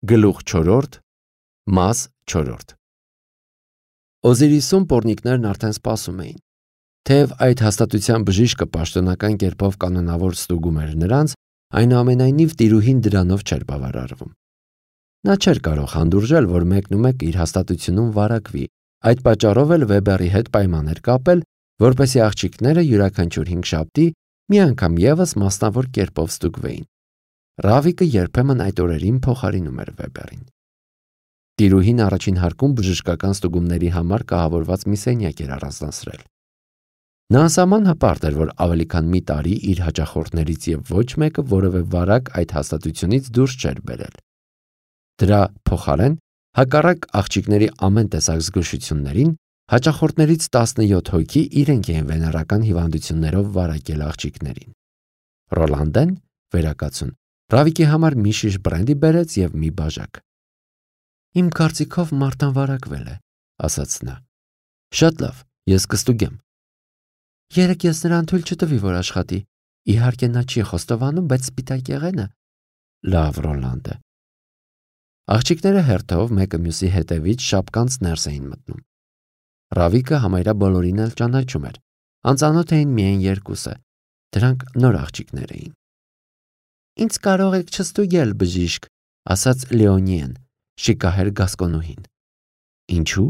Գլուխ 4 Մաս 4 Օզիրիսում պոռնիկներն արդեն սպասում էին։ Թեև այդ հաստատության բժիշկը պաշտոնական կերպով կանոնավոր ստուգում էր նրանց, այնուամենայնիվ տիրուհին դրանով չէր բավարարվում։ Նա չէր կարող հանդուրժել, որ մեկնումեկ իր հաստատությունում վարակվի, այդ պատճառով էլ Վեբերի հետ պայման էր կապել, որպեսզի աղջիկները յուրաքանչյուր 5 շաբթի մի անգամ ևս մասնավոր կերպով ստուգվեին։ Ռավիկը երբեմն այդ օրերին փոխարինում էր Վեբերին։ Տիրուհին առաջին հարկում բժշկական ստուգումների համար կահավորված մի սենյակ էր առանձնացրել։ Նա անսահման հպարտ էր, որ ավելի քան մի տարի իր հաճախորդներից եւ ոչ մեկը որևէ վարակ այդ հաստատությունից դուրս չէր բերել։ Դրա փոխարեն, հակառակ աղջիկների ամեն տեսակ զգուշություններին, հաճախորդներից 17 հոգի իրենք էին վեներական հիվանդություններով վարակել աղջիկներին։ Ռոլանդեն, վերակացուն, Ռավիկի համար մի շիշ բրենդի բերեց եւ մի բաժակ։ Իմ կարծիքով Մարտան վարակվել է, ասաց նա։ Շատ լավ, ես կստուգեմ։ Երեկ ես նրան թույլ չտվի, որ աշխատի։ Իհարկե նա չի խոստովանում, բայց սպիտակ եղենը։ Լավ, Ռոլանդը։ Աղջիկները հերթով մեկը մյուսի հետևից շապկանց ներս էին մտնում։ Ռավիկը համարյա բոլորին էլ ճանաչում էր։ Անծանոթ էին միայն երկուսը։ Դրանք նոր աղջիկներ էին։ Ինձ կարող եք չստուգել, բժիշկ, ասաց Լեոնիեն, շիկահեր գասկոնուհին։ Ինչու՞։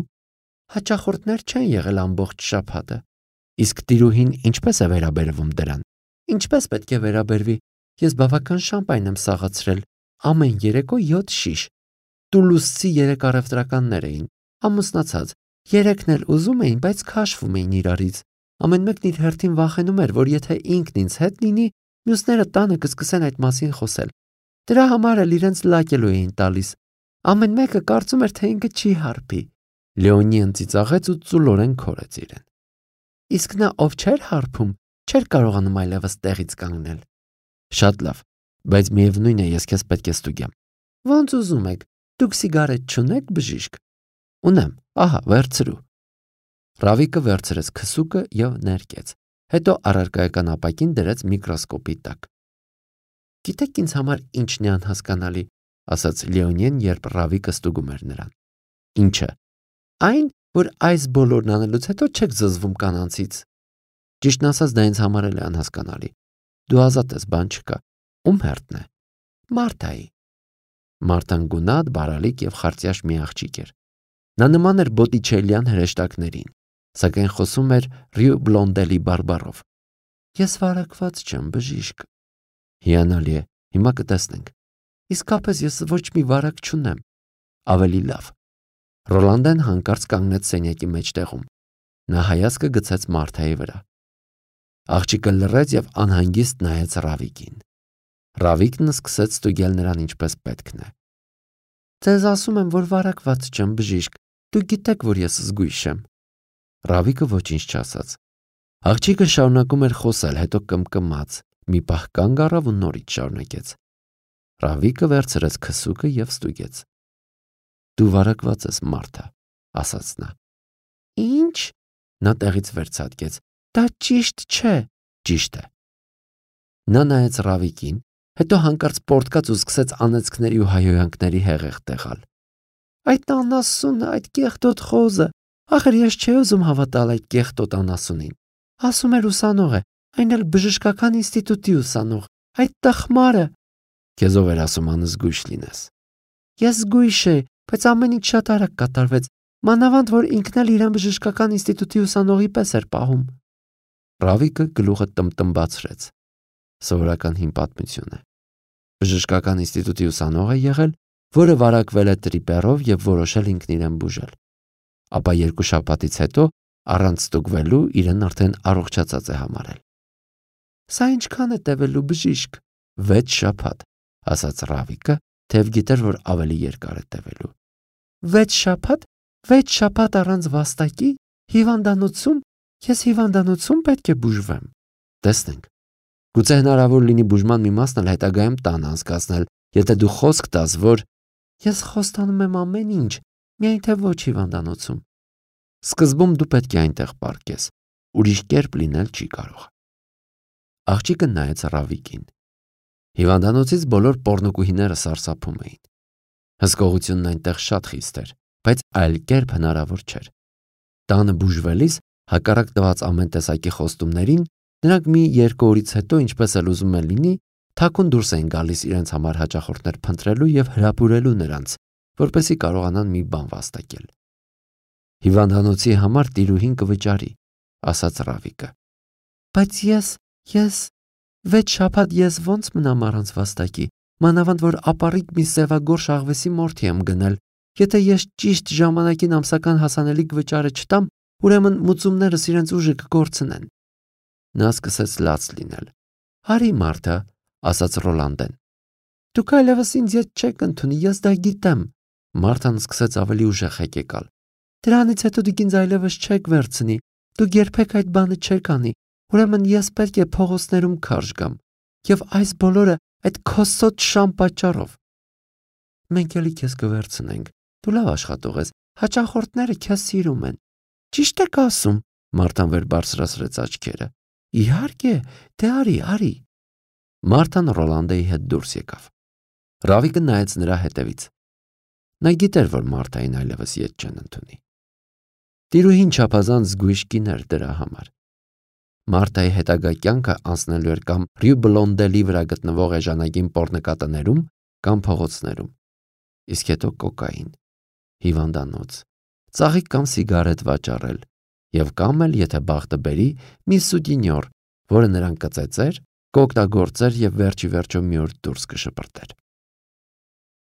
Հաճախորդներ չեն եղել ամբողջ շաբաթը։ Իսկ տիրուհին ինչպես է վերաբերվում դրան։ Ինչպես պետք է վերաբերվի։ Ես բավական շամպայն եմ սաղացրել։ Ամեն երեկո 7 շիշ։ Տուլուսցի 3 առևտրականներ էին, ամուսնացած։ 3-ն էլ ուզում էին, բայց քաշվում էին իրարից։ Ամեն մեկն իր հերթին վախենում էր, որ եթե ինքն ինձ հետ լինի, մյուսները տանը կսկսեն այդ մասին խոսել։ Դրա համար էլ իրենց լակելու էին տալիս։ Ամեն մեկը կարծում էր, թե ինքը չի հարբի։ Լեոնիան ծիծաղեց ու ծուլորեն քորեց իրեն։ Իսկ նա ով չէր հարբում, չէր կարողանում այլևս տեղից կանգնել։ Շատ լավ, բայց միևնույն է, ես քեզ պետք է ստուգեմ։ Ոնց ուզում եք, դուք սիգարետ չունեք, բժիշկ։ Ունեմ, ահա, վերցրու։ Ռավիկը վերցրեց քսուկը եւ ներկեց, հետո առարկայական ապակին դրեց միկրոսկոպի տակ։ Գիտեք ինձ համար ինչն է անհասկանալի, ասաց Լեոնիեն, երբ Ռավիկը ստուգում էր նրան։ Ինչը։ Այն, որ այս բոլորն անելուց հետո չեք զզվում կանանցից։ Ճիշտն ասած, դա ինձ համար էլ է անհասկանալի։ Դու ազատ ես, բան չկա։ Ում հերթն է։ Մարտայի։ Մարտան գունատ, բարալիկ եւ խարծյաշ մի աղջիկ էր։ Նա նման էր Բոտիչելյան հրեշտակներին, սակայն խոսում էր Ռյու Բլոնդելի բարբառով։ Ես վարակված չեմ, բժիշկ։ Հիանալի է, հիմա կտեսնենք։ Իսկապես ես ոչ մի վարակ չունեմ։ Ավելի լավ։ Ռոլանդեն հանկարծ կանգնեց սենյակի մեջտեղում։ Նա հայացքը գցեց Մարտայի վրա։ Աղջիկը լռեց եւ անհանգիստ նայեց Ռավիկին։ Ռավիկն սկսեց ստուգել նրան ինչպես պետքն է։ Ձեզ ասում եմ, որ վարակված չեմ, բժիշկ։ Դուք գիտեք, որ ես զգույշ եմ։ Ռավիկը ոչինչ չասաց։ Աղջիկը շարունակում էր խոսել, հետո կմկմաց, մի պահ կանգ առավ ու նորից շարունակեց։ Ռավիկը վերցրեց քսուկը եւ ստուգեց։ Դու վարակված ես, Մարտա, ասաց նա։ Ինչ։ Նա տեղից վերցատկեց։ Դա ճիշտ չէ։ Ճիշտ է։ Նա նայեց Ռավիկին, հետո հանկարծ պոռթկաց ու սկսեց անեծքների ու հայհոյանքների հեղեղ տեղալ։ Այդ անասունը, այդ կեղտոտ խոզը, ախր ես չէի ուզում հավատալ այդ կեղտոտ անասունին։ Ասում էր ուսանող է, այն էլ բժշկական ինստիտուտի ուսանող, այդ տխմարը։ Քեզ ով էր ասում անզգույշ լինես։ Ես զգույշ էի, բայց ամեն ինչ շատ արագ կատարվեց, մանավանդ որ ինքն էլ իրեն բժշկական ինստիտուտի ուսանողի պես էր պահում։ Ռավիկը գլուխը տմտմբացրեց։ Սովորական հին պատմություն է։ Բժշկական ինստիտուտի ուսանող է եղել, որը վարակվել է տրիպերով եւ որոշել ինքն իրեն բուժել։ Ապա 2 շաբաթից հետո առանց ստուգվելու իրեն արդեն առողջացած է համարել։ Սա ինչքան է տևելու, բժիշկ։ 6 շաբաթ, ասաց Ռավիկը, թեև գիտեր, որ ավելի երկար է տևելու։ 6 շաբաթ, 6 շաբաթ առանց վաստակի, հիվանդանոցում, ես հիվանդանոցում պետք է բուժվեմ։ Տեսնենք։ Գուցե հնարավոր լինի բուժման մի մասն էլ հետագայում տան անցկացնել, եթե դու խոսք տաս, որ ես խոստանում եմ ամեն ինչ, միայն թե ոչ հիվանդանոցում։ Սկզբում դու պետք է այնտեղ պառկես, ուրիշ կերպ լինել չի կարող։ Աղջիկը նայեց Ռավիկին։ Հիվանդանոցից բոլոր պոռնոկուհիները սարսափում էին։ Հսկողությունն այնտեղ շատ խիստ էր, բայց այլ կերպ հնարավոր չէր։ Տանը բուժվելիս, հակառակ տված ամեն տեսակի խոստումներին, նրանք մի 2 օրից հետո, ինչպես էլ ուզում է լինի, թաքուն դուրս էին գալիս իրենց համար հաճախորդներ փնտրելու եւ հրապուրելու նրանց, որպեսզի կարողանան մի բան վաստակել։ Հիվանդանոցի համար տիրուհին կվճարի, ասաց Ռավիկը։ Բայց ես 6 շաբաթ ես ոնց մնամ առանց վաստակի, մանավանդ որ ապառիկ մի սևագորշ աղվեսի մորթի եմ գնել։ Եթե ես ճիշտ ժամանակին ամսական հասանելիք վճարը չտամ, ուրեմն մուծումներս իրենց ուժը կկորցնեն։ Նա սկսեց լաց լինել։ Արի Մարթա, ասաց Ռոլանդեն։ Դուք այլևս ինձ ետ չեք ընդունի, ես դա գիտեմ։ Մարթան սկսեց ավելի ուժեղ հեկեկալ։ Դրանից հետո դուք ինձ այլևս չեք վերցնի, դուք երբեք այդ բանը չեք անի, ուրեմն ես պետք է փողոցներում քարշ գամ, եւ այս բոլորը այդ քոսոտ շան պատճառով։ Մենք էլի քեզ կվերցնենք, դու լավ աշխատող ես, հաճախորդները քեզ սիրում են։ Ճիշտ եք ասում, Մարթան վեր բարձրացրեց աչքերը։ Իհարկե, դե արի։ Մարթան Ռոլանդեի հետ դուրս եկավ։ Ռավիկը նայեց նրա հետևից։ Նա գիտեր, որ Մարթային այլևս ետ չեն ընդունի։ Տիրուհին չափազանց զգույշ կին էր դրա համար։ Մարթայի հետագա կյանքը անցնելու էր կամ Ռյու Բլոնդելի վրա գտնվող էժանագին պոռնկատներում կամ փողոցներում, իսկ հետո կոկային, հիվանդանոց, ծաղիկ կամ սիգարետ վաճառել եւ կամ էլ, եթե բախտը բերի, մի սուտինյոր, որը նրան կծեծեր, կօգտագործեր եւ վերջի վերջո մի օր դուրս կշպրտեր։